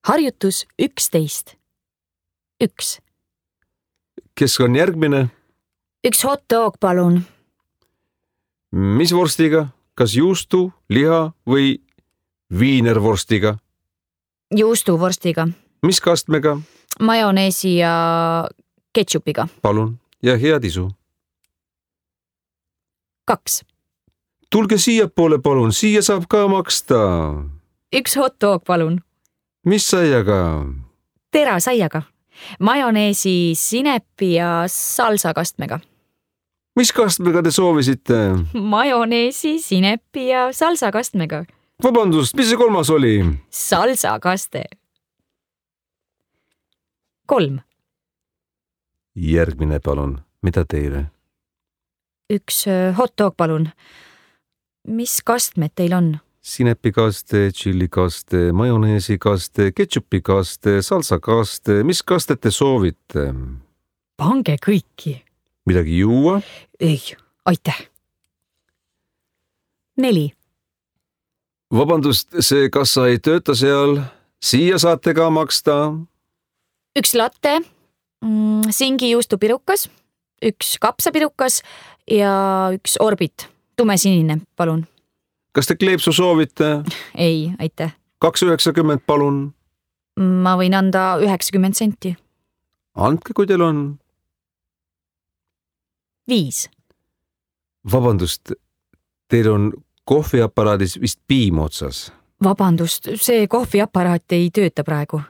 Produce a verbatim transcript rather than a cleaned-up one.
harjutus üksteist. Üks. Kes on järgmine? Üks hot dog, palun. Mis vorstiga? Kas juustu, liha või viinervorstiga? Juustuvorstiga. Mis kastmega? Majoneesi ja ketšupiga. Palun ja head isu. Kaks. Tulge siia poole, palun, siia saab ka maksta. Üks hot dog, palun. Mis saiaga? Terasaiaga. Majoneesi, sinepi ja salsa kastmega. Mis kastmega te soovisite? Majoneesi, sinepi ja salsa kastmega. Vabandust, mis see kolmas oli? Salsa kaste. Kolm. Järgmine, palun. Mida teile? Üks hot dog, palun. Mis kastmed teil on? Sinepikaste, tšillikaste, majoneesikaste, ketšupikaste, salsakaste. Mis kastet te soovite? Pange kõiki. Midagi juua? Ei, aitäh. Neli. Vabandust, see kassa ei tööta seal. Siia saate ka maksta. Üks latte, singi juustupirukas, üks kapsapirukas ja üks orbit. Tumesinine, palun. Kas te kleepsu soovite? Ei, aitäh. Kaks üheksakümmend, palun. Ma võin anda üheksakümmend senti. Andke, kui teil on. Viis. Vabandust, teil on kohviaparaadis vist piim otsas. Vabandust, see kohviaparaat ei tööta praegu.